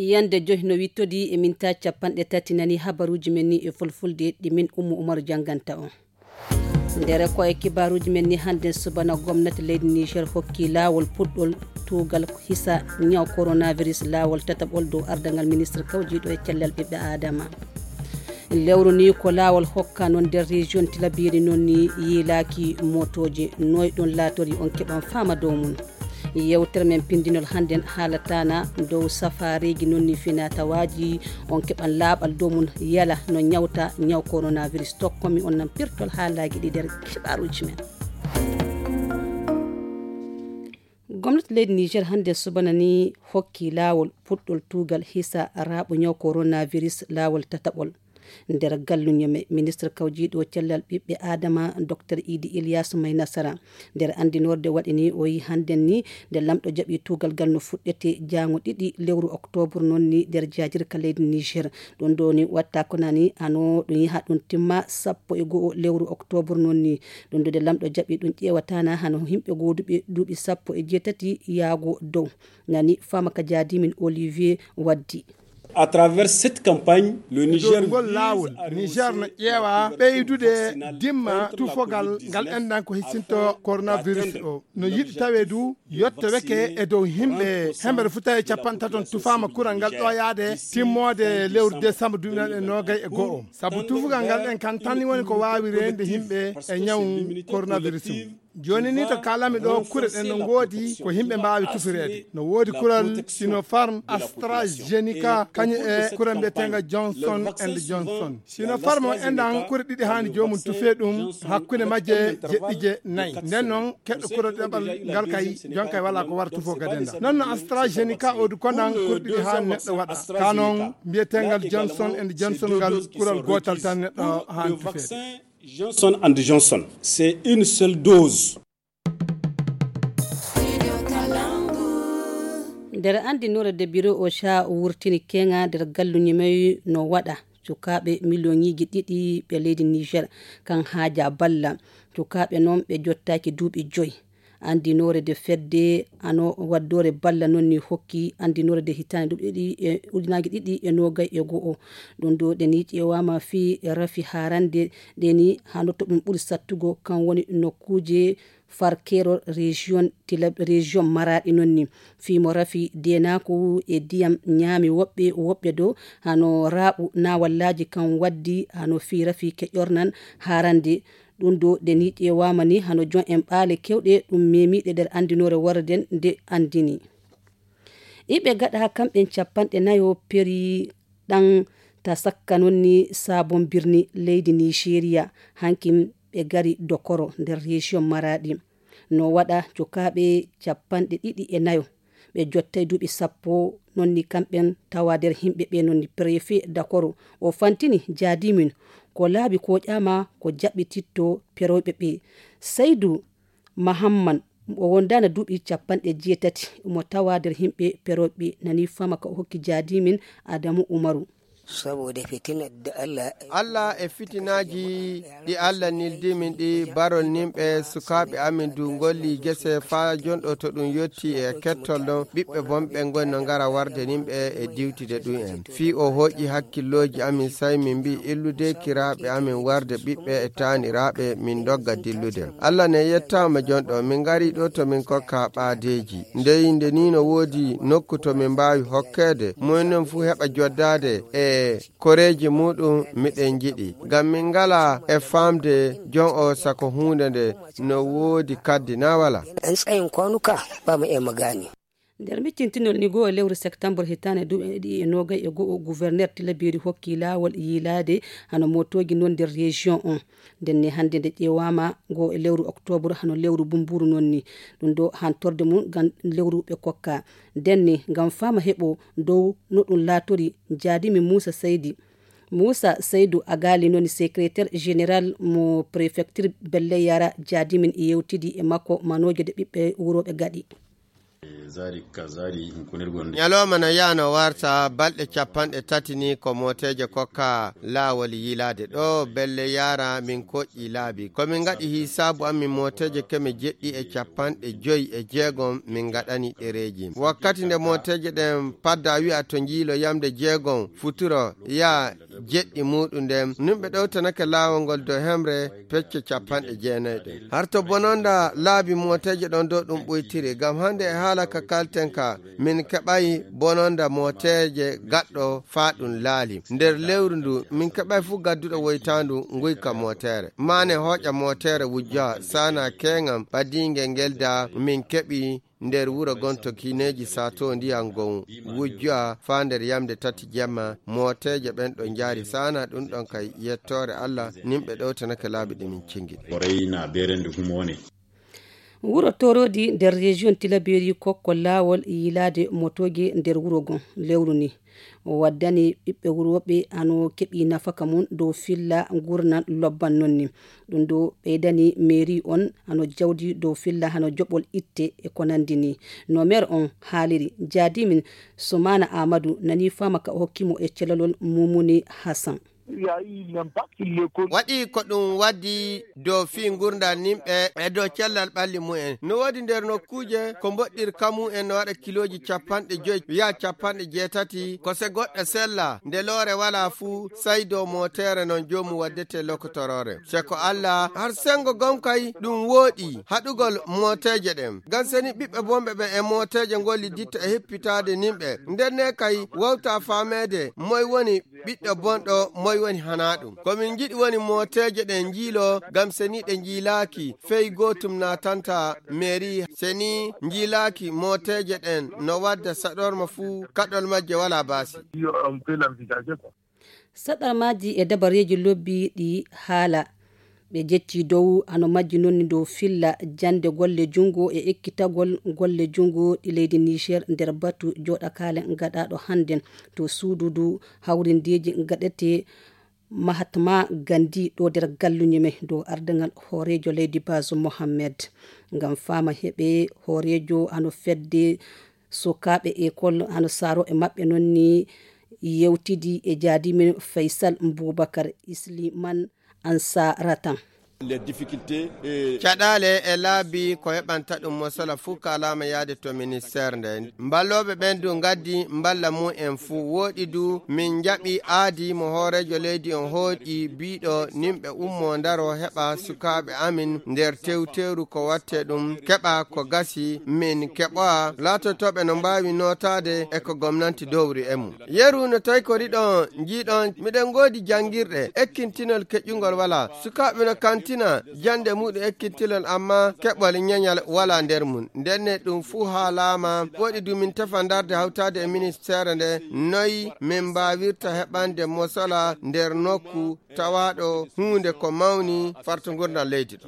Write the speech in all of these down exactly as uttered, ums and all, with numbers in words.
Yande joy no wittodi e minta capanɗe tati nani habaruji men ni e fulfulde ɗi min Ummu Umaru janganta on. Nder ko e kibaruji men ni hande subana gomnati leydi Niger hokki lawol puɗɗol tugal hisa nyaw coronavirus lawol tataɓol dow ardangal ministre kawjiɗo e cellal ɓiɓɓe adama. Lewru ni ko lawol hokka non nder région tilabiri non ni yiilaki motoji noy ɗon latori on keɓan fama dow mum. Yewtere men pindinol hannden haalatana dow safaareeji nonni finatawaji on keɓan laaɓal dow mum yala no nyawta nyaw coronavirus tokkomi on nan pirtol haalaaji ɗi nder kibaruji men. Gomnati leydi Niger hannde subana ni hokki laawol puɗɗol tuugal hisa raaɓo nyaw coronavirus laawol tataɓol. Nder galluño me ministre kawjiiɗo cellal ɓiɓɓe adama docteur idi ilias may nasara nder andinorde waɗi ni o yi hannden ni nde lamɗo jaɓi tugal gal no fuɗɗete jango ɗiɗi lewru octobre noon ni nder jajirka leydi niger. Ɗum ɗo ni watta ko nani hano ɗum yaha ɗum timma sappo e go'o lewru octobre noon ni. Ɗum ɗo nde lamɗo jaɓi ɗum ƴeewatana hano yimɓe goduɓe duuɓi sappo e jeetati yaago dow. Nani fama ka jaadimin olivier waddi. À travers cette campagne, le Niger ngol laawol niger no ƴeewa ɓeydude dimma tufogal ngal enɗan ko hissinto coronavirus o no yiɗi tawe du yetto weke e dow yimɓe hemɓere futa e capanɗe taton tufaama kural ngal ɗo yaade timmoode lewru décembre duuɓi noon e noogay e go'o sabu tufugal ngal ɗen kan tan woni ko waawi reende yimɓe e ñaw coronavirus o. Jooni ni to kaalami ɗo kure ɗen no ngoodi ko yimɓe mbaawi tufireede no woodi kural sinofarm astrazeneca kañum e kural mbiyetenga johnson and johnson. Sinofarm o enɗan kure ɗiɗi haani joomum tufee ɗum hakkunde majje jeɗɗi je nayi nden noon keɗɗo kural ɗeɓal ngal kay jonkay wala ko wara tufo gadenda non no astrazeneca odu kondan kure ɗiɗi haani neɗɗo waɗa ka noon mbiyetengal johnson and johnson ngal kural gootal tan neɗɗo haani tufeede. Johnson and Johnson, c'est une seule dose. Nder anndinoore de biro o sha wurtini keŋa nder galluñi may no waɗa cukaaɓe miliyoŋiiji ɗiɗi ɓe leydi niger kan haaja balla cukaaɓe noon ɓe jottaaki duuɓi joyi. Anndinoore de fedde ano waddore balla noon ni hokki anndinoore de hitaande duuɓi ɗiɗi e ujunaaji ɗiɗi e noogay e go'o. Ɗum ɗo ɗe ni ƴeewaama fii rafi haarande ɗe ni hano to ɗum ɓuri sattugo kan woni nokkuuje farkero région tila région maraɗi noon ni fii mo rafi denaku e diyam ñaami woɓɓe woɓɓe dow hano raaɓu na wallaaji kan waddi hano fii rafi keƴornan haarande. Ɗum ɗo ɗe ni ƴeewaama ni hano jon en ɓaale kewɗe ɗum memiɗe nder anndinoore warden nde anndini. Iɓe gaɗa kamɓen capanɗe nayo peri ɗan ta sakka non ni sabon birni leydi nigeria hankin ɓe gari dokoro nder région maraɗi. No waɗa cukaaɓe capanɗe ɗiɗi e nayo ɓe jottay duuɓi sappo non ni kamɓen tawa nder yimɓe ɓe non ni préfet dakoro o fantini jaadimin ko laabi ko ƴama ko jaɓɓititto perewɓe ɓe. Saydu mahamman o wondana duuɓi capanɗe jeetati mo tawa nder yimɓe perewɓe nani fama ka o hokki jaadimin adamu umaru. Saboda fitinar da Allah Allah e fitinaaji ɗi Allah nildi min ɗi barol nimɓe sukaaɓe amin du ngolli gese faa jonɗo to ɗum yotti e kettol ɗon ɓiɓɓe bonɓe ngoni no ngara warde nimɓe e diwtide ɗum en fii o hoƴi hakkillooji amin say min mbi illude kiraaɓe amin warde ɓiɓɓe e taaniraaɓe min dogga dillude. Allah ne yettaama jonɗo min ngari ɗo to min kokka ɓaadeeji ndey nde ni no woodi nokku to min mbaawi hokkeede mumen fuu heɓa joddaade e koreeji muɗum miɗen njiɗi ngam min ngala e faamde jon o sako huunde nde no woodi kaddi na wala. An tsayin kwanuka ba mu iya mu gane. Nder miccintinol ni goo e lewru septembre hitaande duuɓi ɗiɗi e noogay e go'o gouverneur tilabiri hokki laawol yiilaade hano mootooji non nder région on. Ndenne hannde nde ƴeewaama goo e lewru octobre hano lewru bumburu non ni ɗum ɗo hantorde mum ngam lewru ɓe kokka ndenne ngam faama heɓo dow no ɗum laatori. Jaadimi muusa seydi muusa seydu agaali noni secrétaire général mo préfecture belle yara jaadimin yewtidi e makko manooje de ɓiɓɓe wurooɓe gaɗi. Ñalooma no yaano warta balɗe capanɗe tati ni ko mooteeje kokka laawol yiilaade ɗo belle yaara min koƴƴi laabi. Ko min ngaɗi hisaabu amin mooteeje keme jeɗɗi e capanɗe joyi e jeegom min ngaɗani ɗereeji. Wakkati nde mooteeje ɗen padda wi'a to njiilo yamde jeegom futuro yaa jeɗɗi muuɗum nden, nimɓe ɗowtanake laawol ngol dow hemre pecce capanɗe jeenayi ɗen. Har to bononda laabi mooteeje ɗon dow ɗum ɓuytiri, ngam hannde e haala ka kalten ka, min keɓay bononda mooteeje gaɗɗo faa ɗum laali. Nder lewru ndu, min keɓay fuu gadduɗo woytaandu nguyka mooteere. Maane hooƴa mooteere wujja, saana keeŋam ɓadiingel ngel da min keɓi nder wuro gon to kiineeji sato ndiyam gon wujjowa faa nder yamde tati jemma, mooteeje ɓen ɗo njaari saana ɗum ɗon kay yettoore Allah, nimɓe ɗowtanake laabi ɗi min cingi. Ko reyna berende humo ne. Wuro Torodi nder région Tilaberi kokko laawol yiilaade motooje nder wuro gon lewru ni. O waddani ɓiɓɓe wuro ɓe hano keɓi nafaka mum dow filla ngurnan lobban non ni. Ɗum ɗo ɓeydani mairie on hano jawdi dow filla hano joɓol itte e ko nandi ni. No maire on haaliri, jaadimin Sumana Amadou nani faama ka o hokki mo e celalol Mumuni Hassan. Waɗi ko ɗum waddi dow fii ngurndan nimɓe e dow cellal ɓalli mumen. No woodi nder nokkuuje ko mboɗɗirka mumen no waɗa kilooji capanɗe joyi yaa capanɗe jeetati, ko se goɗɗo sella, nde loore walaa fuu, sai dow mootere non joomum waddete lokotoroore. Se ko Allah, har sengo gom kay ɗum wooɗi haɗugol mooteeje ɗen. Ngam seni ɓiɓɓe bonɓe ɓen e mooteeje ngolli ditta e hippitaade nimɓe. Nden ne kay wawta faameede moy woni ɓiɗɗo bonɗo, moy woni hanaa ɗum. Ko min njiɗi woni mooteeje ɗen njiilo, ngam seni ɗe njiilaaki, fey gootum naatanta mairie, seni njiilaaki mooteeje ɗen no wadda saɗorma fuu, kaɗol majje walaa baasi. Saɗarmaaji e dabareeji lobbi ɗi haala. Ɓe jecci dow hano majji non dow filla jannde golle junngo e ekkitagol golle junngo ɗi leydi Niger nder batu jooɗakaale gaɗaaɗo hannden to suududu hawrindeeji gaɗetee Mahatma Gandhi ɗo nder galluñi men dow ardaŋal hooreejo leydi Bazoum Mohammed. Ngam faama heɓe hooreejo hano fedde sukaaɓe ekol hano saaro e maɓɓe non ni yewtidi e jaadimin Faisal Boubacar Isliman Ansaratan. Caɗaale e laabi ko heɓanta ɗum mosala fuu kaalaama yaade to ministeer nde. Mballooɓe ɓen du ngaddi mballa mum en fuu. Wooɗi du min njaɓi aadi mo hooreejo leydi on hooƴi biiɗo nimɓe ummo ndaro heɓa sukaaɓe amin nder tewteeru ko watte ɗum keɓa ko gasi min keɓoa laatotooɓe no mbaawi nootaade e ko gomnanti dowri e mum. Yeru no tawi ko riɗon njiiɗon miɗen ngoodi janngirɗe ekkintinol keƴƴungol walaa. Sukaaɓe no kantina jannde muɗum ekkintinol amma keɓol ñeñal walaa nder mum. Ndenne ɗum fuu haalaama woɗi du min tefa ndarde hawtaade e ministeere nde noy min mbaawirta heɓande mosola nder nokku tawaaɗo huunde ko mawni farto ngurndan leydi ɗo.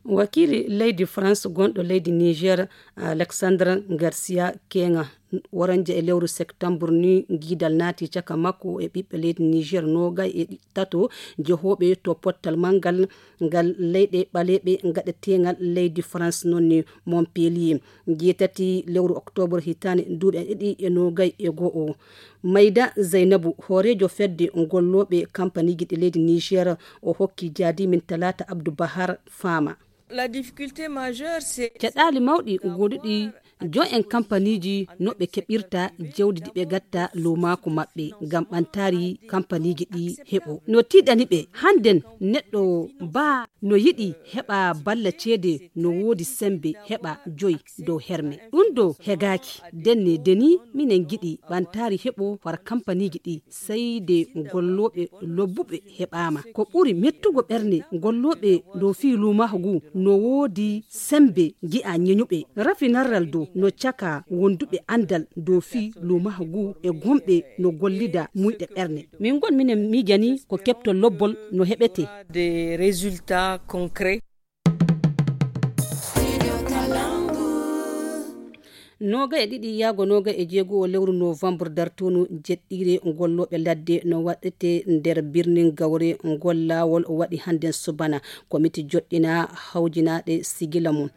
Wakiili leydi France gonɗo leydi Niger, Alexandre Garcia Kenga, waranjo e lewru septembre ni giidal naati caka makko e ɓiɓɓe leydi Niger noogay e ɗi-, tato jehooɓe to pottal manngal ngal leyɗe ɓaleeɓe gaɗeteengal leydi France non ni Montpellier. Jeetati lewru octobre hitaande duuɓi ɗiɗi e noogay e go'o. Mayda Zaynabu, hooreejo fedde gollooɓe kampaniiji ɗi leydi Niger, o hokki jaadimin Talaata Abdou Bahar faama. La difficulté majeure, c'est caɗaali mawɗi goduɗi jo'en kampaniiji no ɓe keɓirta jawdi ndi ɓe gatta luumaaku maɓɓe ngam ɓantaari kampaniiji ɗi heɓo. No tiiɗani ɓe hannden neɗɗo baa no yiɗi heɓa balla ceede no woodi sembe heɓa joyi dow herme. Ɗum ɗo hegaaki. Ndenne deni minen ngiɗi ɓantaari heɓo far kampaniiji ɗi sey de gollooɓe lobbuɓe heɓaama. Ko ɓuri mettugo ɓernde gollooɓe dow fii luumaaku ngu no woodi sembe ngi'a ñeñuɓe. Rafi narral dow no caka wonduɓe anndal dow fii luumaaku ngu e gomɓe no gollida muyɗe ɓernde. Min ngon minen miijani ko keɓtol lobbol no heɓetee. Des résultats concrets. Noogay e ɗiɗi yaago noogay e jeego o lewru novembre dartunu jeɗɗiire gollooɓe ladde no waɗete nder birnin Gawre ngol laawol waɗi hannden subana. Komiti joɗɗina hawjinaaɗe sigila mum.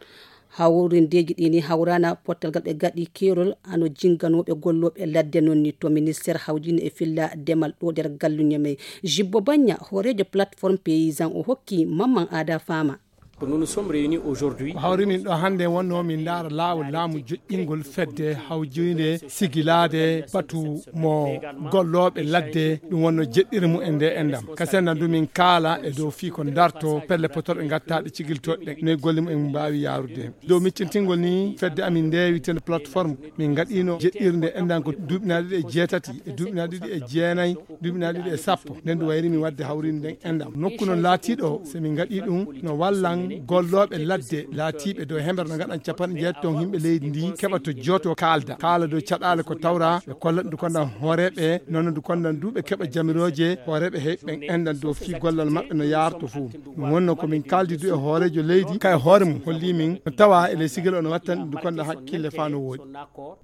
Hawrindeeji ɗi ni hawrana pottal gal ɓe gaɗi keerol ano jinganooɓe gollooɓe ladde noon ni to ministeer hawjine e filla demal ɗo nder galluñe may. Jibbo Bañña, hooreejo plateforme paysan, o hokki Mamman Ada Fama. Ko hawri min ɗo hannde wonno min ndaara laawol laamu joƴƴingol fedde hawjinde sigilaade batu mo gollooɓe ladde, ɗum wonno jeɗɗire mum e nde enɗam. Kasen nan du min kaala e dow fii ko darto pelle potorɗe ngattaaɗe cigiltooɗe ɗen, noy golle mum en mbaawi yaarude. Dow miccintingol ni fedde amin ndeewitende plateforme, min ngaɗiino jeɗɗirde enɗam ko duuɓi na ɗiɗi e jeetati, e duuɓi na ɗiɗi e jeenayi, duuɓi na ɗiɗi e sappo. Nden du wayri min waɗde hawrinde nden enɗam. Nokku non laatiiɗo, so min ngaɗi ɗum, no wallan gollooɓe ladde laatiiɓe dow hemere no ngaɗan capanɗe jeetati ton yimɓe leydi ndi keɓa to jooto kaalda. Kaala dow caɗaale ko tawra, ɓe kollan du kondan hooreeɓe, noon du kondan du ɓe keɓa jamirooje hooreeɓe he ɓen enɗan dow fii gollal maɓɓe no yaarto fuu. Ɗum wonno ko min kaaldi du e hooreejo leydi, ka e hoore mum holli min no tawa e ley sigil o no wattan ɗum du kondan hakkille faa no wooɗi.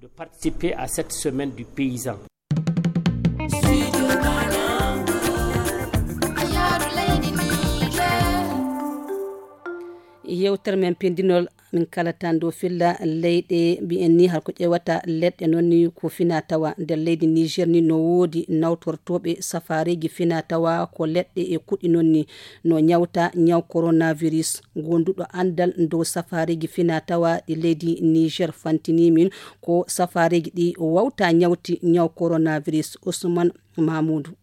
De participer à cette semaine du paysan. Yewtere men pindinol min kalata dow filla leyɗe mbiyen ni har ko ƴewata leɗɗe noon ni ko fina tawa nder leydi Niger ni no woodi nawtortooɓe safaareeji fina tawa ko leɗɗe e kuɗi noon ni no ñawta ñaw coronavirus. Gonduɗo anndal dow safaareeji fina tawa ɗi leydi Niger fantini min ko safaareeji ɗi wawta ñawti ñaw coronavirus. Ousmane Mamoudou.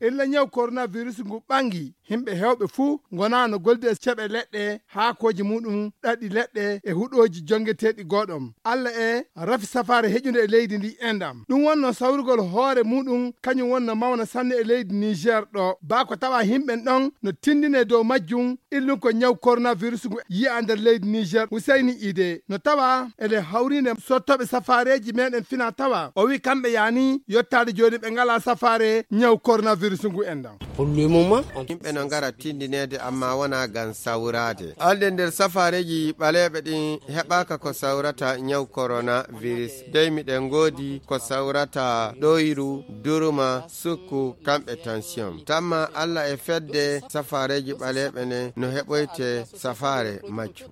Illa ñaw coronavirus ngu ɓangi, himɓe hewɓe fuu ngonaa no goldi e ceɓe leɗɗe, haakooji muɗum, ɗaɗi leɗɗe e huɗooji jongeteeɗi gooɗom. Alla e rafi safaare heƴunde e leydi ndi enɗam. Ɗum wonno sawrugol hoore muɗum, kañum wonno mawna sanne e leydi Niger ɗo. Baa ko tawa himɓen ɗon no tindine dow majjum, illum ko ñaw coronavirus ngu yi'a nder leydi Niger. Huseyni Ide no tawa ele hawrinde sottooɓe safaareeji meɗen fina tawa. O wi kamɓe yaani yottaade jooni ɓe ngala safaare ñaw coronavirus ngu enɗam. Pour le moment, on- Yimɓe no ngara tindineede amma wona ngam sawraade. Alde nder safaareeji ɓaleeɓe ɗin heɓaaka ko sawrata ñaw coronavirus. Dey miɗen ngoodi ko sawrata ɗoyru, durma, sukku, kamɓe tension. Tamma Alla e fedde safaareeji ɓaleeɓe ne no heɓoyte safaare majju.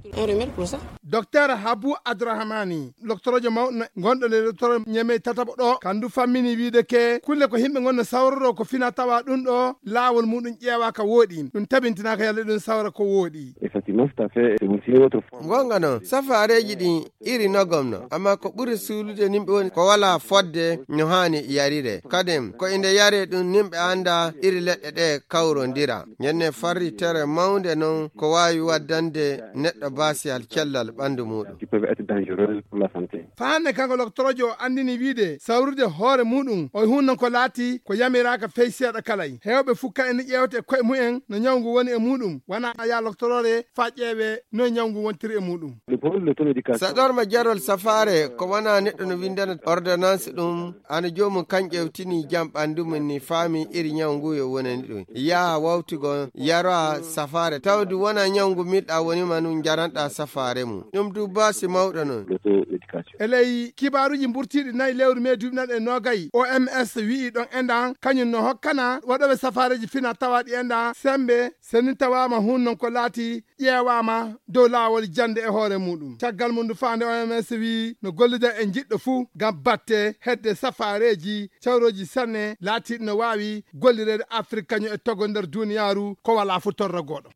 Docteur Habu Adrahamani, loktorojo mawɗo gonɗo nder loktoro Ñeme tataɓo ɗo, kandu fammini wiide ke kulle ko himɓe ngonno sawroro ko fina tawa ɗum ɗo laawol muɗum ƴeewa ka wooɗi. Ɗum tabintinaka yalla ɗum sawra ko wooɗi. Effectivement, tout à fait. C'est aussi une autre forme. Gonga non, safaareeji ɗin iri nogom no, amma ko ɓuri suulude nimɓe woni ko wala fodde no haani yarire. Kadin, ko inde yare ɗum nimɓe anda iri leɗɗe ɗe kawrondira. Ñande farritere mawnde non ko waawi waddande neɗɗo baasiyal cellal ɓandu muɗum. Qui peuvent être dangereuses pour la santé. Faande kanko loktorojo o andini wiide sawrude hoore muɗum o hunno ko laati ko yamiraaka fey seeɗa kalay. Hewɓe fuu ka ene ƴeewta e koye mumen no ñawngu woni e muɗum, wona ya loktoroore faa ƴeewe no ñawngu wontiri e muɗum. Le problème de l'auto-médication. Saɗorma jarol safaare ko wona neɗɗo no windana ordonnance ɗum, ana joomum kan ƴewtini jam ɓandu mum ni faami iri ñaw ngu yo wonani ɗum. Yaha wawtigo yaroa safaare. Tawdi wona ñaw ngu milɗa woni ma nun jaranɗa safaare mum. Ɗum du baasi mawɗo non. L'auto-médication. E ley kibaaruuji mburtiiɗi nayi lewru mee duuɓi naɗe noogay, O M S wi'i ɗon enɗan kañum no hokkana waɗooɓe safaareeji fina tawaɗi enɗan sembe, seni tawaama hun non ko laati ƴeewaama dow laawol jannde e hoore muɗum. Caggal mum ndu faande O M S wi'i no gollude e jiɗɗo fuu ngam batte hedde safaareeji cawrooji sanne laatiiɗi no waawi gollireede Afrik kañum e togo nder duuniyaaru ko walaa fuu torra gooɗo.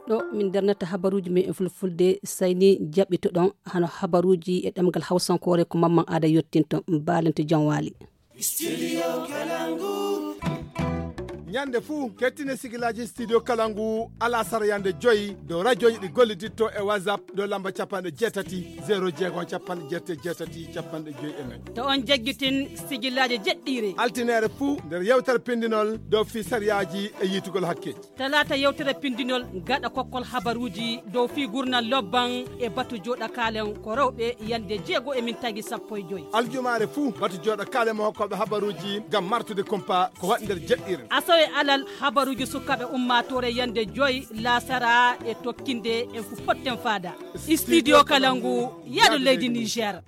Ɗo min darnata habaruuji men e fulfulde, sayni jaɓɓitoɗon hano habaruuji e ɗemgal hawsankoore ko Mamman Aada yottinto. Baalante jam waali. Studio Kalangu. Ñande fuu kettine sigilaaji Studio Kalangu alasara yande joyi dow rajooji ɗi golliditto e WhatsApp dow lamba capanɗe jeetati, zero jeego, capanɗe jeetati, capanɗe joyi e nayi. To on jaggitin sigilaaji jeɗɗiire. Altineere fuu nder yewtere pindinol dow fii sariyaaji e yiitugol hakkeeji. Talaata yewtere pindinol gaɗa kokkol habaruuji dow fii gurnal lobban e batu jooɗakaalen ko rewɓe yande jeego e min tagi sappo e joyi. Aljumaare fuu batu jooɗakaalen mo hokkooɓe habaruuji ngam martude kumpa ko waɗi nder jeɗɗiire. Asawe alal habaruuji sukaaɓe ummaatoore yande joyi laasara e tokkinde en fu potten faada. Studio Kalangu, yaadu leydi Niger.